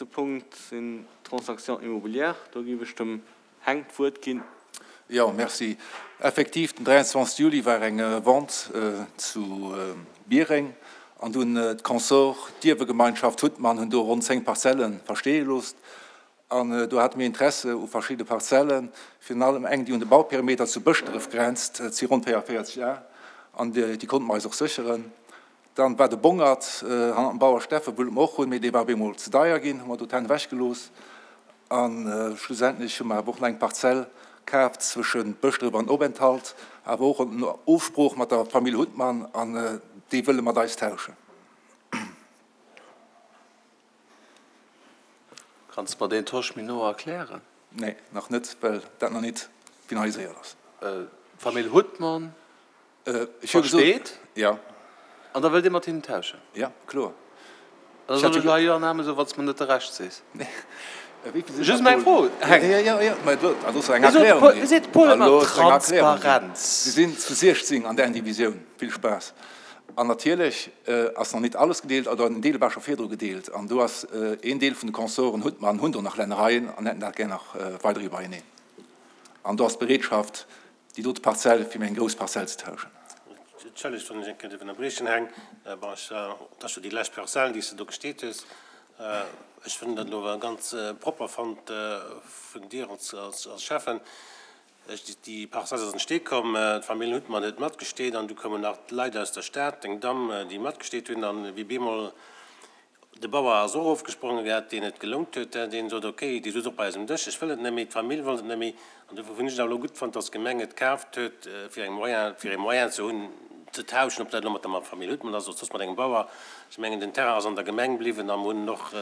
Nächste Punkt sinn d'Transactions immobilières. Do géif ech dem Heng d'Wuert ginn. Jo, merci. Effektiv, den 23 Juli war eng Vente zu Biereng an do hunn d'Consorts, d'Ierwegemeinschaft Huttmann, hunn do ronn 10 Parzelle versteeë loosst. An do hate mir Interesse u verschidde Parzellen, virun allem eng, déi un de Bauperimeter zu Bëschdref grenzt, et si ronn 44 Ar, an déi konnte mer eis och sécheren. Dann war de Bongert hannert dem Bauer Steffen, wullte mer och hunn, mee dee war op eemol ze deier ginn, hu mer do d'Hänn ewech gelooss. A schlussendlech hu mer awer och nach eng Parzell kaaft zwëschen Bëschdref an Openthalt, awer och an Ofsprooch mat der Famill Huttmann, an déi wëlle mat eis tauschen. Kanns de mer deen Tosch méi no erklären? Nee, nach net, well dat nach nit finaliséiert ass. D'Famill Huttmann versteet? Ja. An da wëllt Dir mat hinnen tauschen? Ja, kloer. Da soll ech elo hei Jo an Amen soen, wann s de mer net de Rescht sees? Nee. Just meng Fro, Heng. Jo, jo, jo, mä do ass eng Erklärung ginn. Wéi seet de Paul ëmmer? Transparenz. Si sinn zu 16 an där Divisioun. Vill Spaass. An natierlech ass nach nit alles gedeelt, oder en Deel war scho virdru gedeelt. An do ass een Deel vun de Consorten Huttmann hunn do nach Lännereien an hätten dat gär nach weider iwwereneen. An do ass d'Bereetschaft, déi dote Parzell fir méi eng grouss Parzell ze tauschen. Entschëllegt, wann ech eng Kéier dierf ënnerbriechen, Heng. Bon, ech, dat ass jo déi lescht Parzell, déi s de do gesteet hues. Ech hunn dat elo awer ganz propper fonnt vun dir als, als, als Schäffen. Ech, déi Parzell ass an den Stee komm, d'Famill Huttmann huet matgesteet an du koumen nach Leit aus der Stad, deng Damm, déi matgesteet hunn an wéi bemol De Bauer ass och ofgesprongen, gehat, deen et gelount huet, deen sot, ok, déi sot och bei eis um Dësch, ech wëll et net méi, d'Famill wollt et net méi. An dofir hunn ech et awer elo gutt fonnt, dass d'Gemeng et kaaft huet, fir eng Moyen, fir ee Moyen ze hunn, ze tauschen, ob dat elo mat der Famill Huttmann ass oder soss mat engem Bauer. Ech mengen, den Terrain ass an der Gemeng bliwwen a mer hunn en och,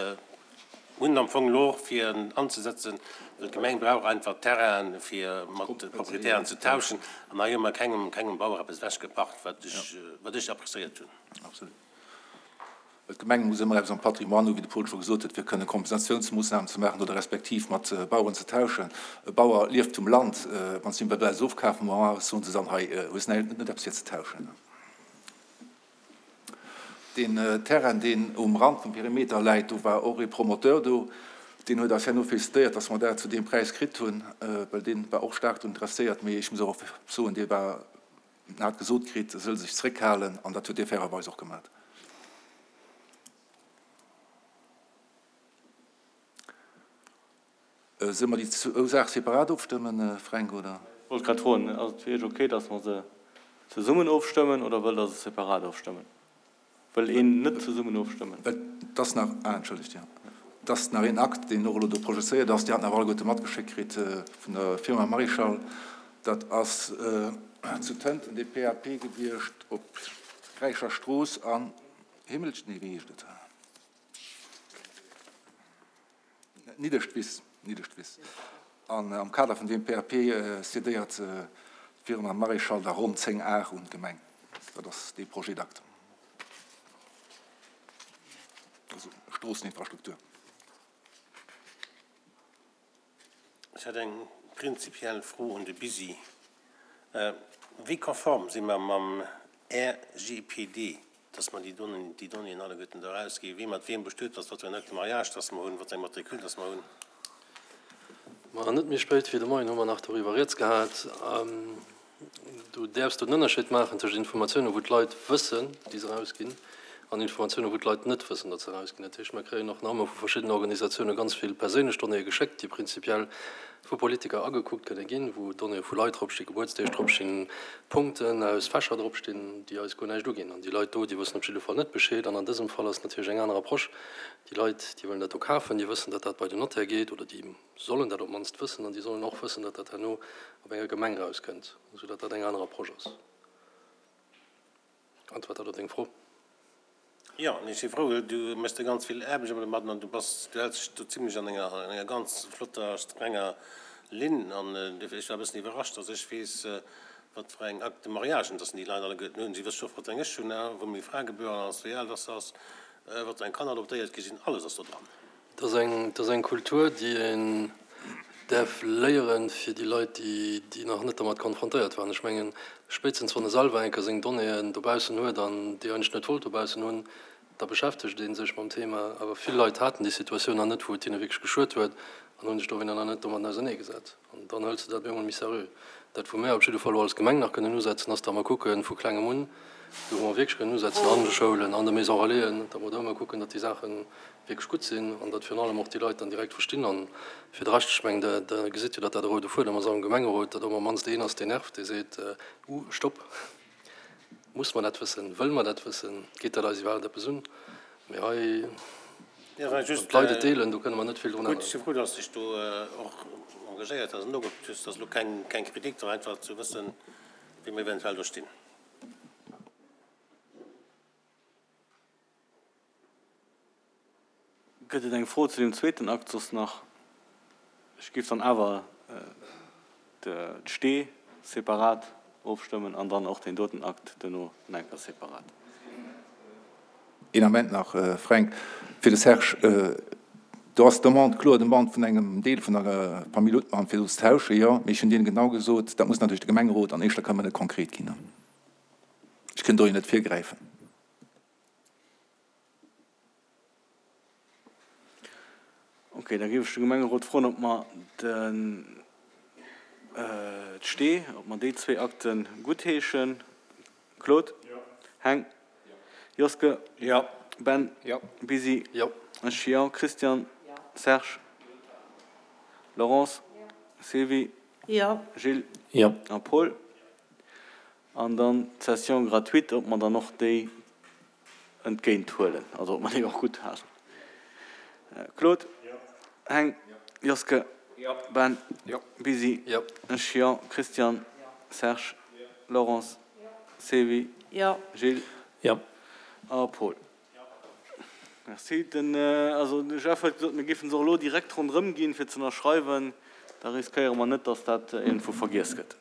hunn en am Fong elo och, fir en anzesetzen, well d'Gemeng brauch einfach Terrainen, fir mat Proprietären ze tauschen. An hei hu mer kengem, kengem Bauer eppes ewechgepacht, wat ech, wat ech appréciéiert hunn. Absolut. Well d'Gemeng muss ëmmer eppes am Patrimoine hu, wéi de Paul scho gesot huet, fir kënne Kompensatiounsmoossnamen ze maachen oder respektiv mat Baueren ze tauschen. E Bauer lieft vum Land. Wann s de him bei eis ofkafen, ma soen se dann, hei hues net eppes fir ze tauschen. Deen Terrain, deen um Rand vum Perimeter läit, do war och ee Promoteur do, deen huet eis herno félicitéiert, dass mer dat zu deem Präis kritt hunn, well dee war och staark drun interesséiert. Mee ech muss och soen, dee war En hat gesot kritt, e sëll sech zréckhalen, an dat huet hie fairerweis och gemat. Solle mer déi zwou Saache separat ofstëmmen, Fränk, oder? Ech wollt grad froen, ass et fir Iech ok, datt mer se zesummen ofstëmmen, oder wëllt Der se separat ofstëmmen? Wëll een net zesummen ofstëmmen? Et ass nach, ah, entschëllegt, jo, et ass nach een Akt, deen och elo do projezéiert ass, Dir hat en awer alleguerte matgeschéckt kritt vun der Firma Marichal. Dat ass zu Tënten dee PAP gewiescht op Räicher Strooss an Himmelscht, nee, wéi heescht et? Niddeschwiss, Niddeschwiss. An am Kader vun deem PAP cédéiert d'Firma Maréchal da ronn 10 Ar un d'Gemeng. Dat ass dee Projet d'acte, also Stroosseninfrastruktur. Ech hätt eng prinzipiell Fro un de Bisi. Wéi konform si mer mam RGPD, dass mer déi Donnéeën alleguerten do erausginn, wie mat wiem bestuet ass, wat fir en Acte de mariage dass mer hunn, wat fir eng Matricule dass mer hunn? Ma net méi spéit wéi de Moien hu mer nach doriwwer rieds gehat. Du däerfs do den Ënnerscheed maachen tëscht Informatiounen, wou d'Leit wëssen, déi se erausginn, an Informatiounen, wou d'Leit net wëssen, datt se erausginn. Dat heescht, mer kréien och nach ëmmer vu verschiddenen Organisatioune ganz vill perséinlech Donnéeë geschéckt, déi prinzipiell vu Politiker agekuckt kënne ginn, wou Donnéeë vu Leit dropstinn, Gebuertsdeeg dropstinn, Punkten aus Fächer dropstinn, déi eis guer näischt uginn. An déi Leit do, déi wëssen op jidde Fall net Bescheed. An an dësem Fall ass et natierlech eng aner Approche. Déi Leit, déi wëllen dat do kafen, déi wëssen, datt dat bei den Notaire geet, oder déi sollen dat op d'mannst wëssen, an déi sollen och wëssen, datt dat herno op enger Gemeng erauskënnt, soudatt dat eng aner Approche ass. Äntwert dat op deng Fro? Jo, an ech si frou, well du méchs der ganz vill Aarbecht ëmmer domadden an du bass, du häls dech do zimlech an enger, an enger ganz flotter, strenger Linn. An dofir, ech war e bëssen iwwerrascht, dass ech weess, wat fir eng Acte de mariagen dass déi Leit alleguerten hunn. Si wësse scho, wat fir eng ech hunn, wou meng Fra gebueren ass, wéi al dass se ass, wat fir eng Kanner adoptéiert gi sinn, alles ass do dran. Et ass eng, et ass eng Kultur, déi een däerf léieren, fir déi Leit, déi, déi nach net dermat konfrontéiert waren. Ech mengen, spéitstens wann e selwer eng Kéier seng Donnéeën dobaussen huet an déi eigentlech net wollt dobaussen hunn, Da beschäftegt ee sech mam Thema. Awer vill Leit haten déi Situatioun nach net, wou et hinne wierklech geschuet huet an hunn sech dowéinter nach net domatten auserneegesat. An dann hëls de dat op eemol méi seriö. Dat, wou mär op jidde Fall elo als Gemeng nach kënnen usetzen, ass, datt mer kucken, vu klengem un, do wou mer wierklech kënnen usetzen, an de Schoulen, an de Maisons relaisen, datt mer do ëmmer kucken, datt déi Saache wierklech gutt sinn an datt virun allem och déi Leit dann direkt verstinn. An fir de Rescht, ech mengen, Der gesitt jo, datt dat e roude Fuedem ass am Gemengerot, datt ëmmer mannst een ass, deen nervt, dee seet, Uh, stopp, muss mer dat wëssen, wëlle mer dat wëssen, geet dat eis iwwerhaapt eppes un? Mee hei, wann d'Leit et deelen, do kënne mer net vill drun änneren. Gutt, ech si frou, datt s de dech do och engagéiert hues an nogekuckt hues. Dat ass elo keng Kritik, mä einfach ze wëssen, wéi mer eventuell do stinn. Gëtt et eng Fro zu deem zweeten Akt soss nach? Ech géif dann awer d'Stee separat ofstëmmen an dann och deen doten Akt duerno nach eng Kéier separat. Een Ament nach, Fränk, fir de Serge. Do ass d'Demande, kloer Demande vun engem Deel vun der Famill Uthmann, fir do ze tauschen, jo. Mee ech hunn deene genau gesot, dat muss natierlech de Gemengerot an éischter kënnen konkret ginn. Ech kënn do jo net virgräifen. Ok, da géif ech de Gemengerot froen, ob mer den d'Stee, ob mer déi zwéi Akte guttheeschen. Claude? Jo. Heng? Jo. Joske? Jo. Ben? Jo. Bisi? Jo. Ech jo. Christian? Jo. Serge? Laurence? Jo. Sylvie? Jo. Gilles? Jo. A Paul? An dann d'Cession gratuite, ob mer dann och déi entgéint huelen, also ob mer déi och gutthaassen. Claude? Jo. Heng? Jo. Joske? Jo. Ben? Jo. Bisi? Jo. Ech jo. Christian? Jo. Serge? Jo. Laurence? Jo. Sylvie? Jo. Gilles? Jo. A Paul? Jo. Merci. Den, also de Jeff huet gesot, mir géife se och elo direkt ronderëm ginn, fir ze ënnerschreiwen. Da riskéiere mer net, datt dat iergendwou vergiess gëtt.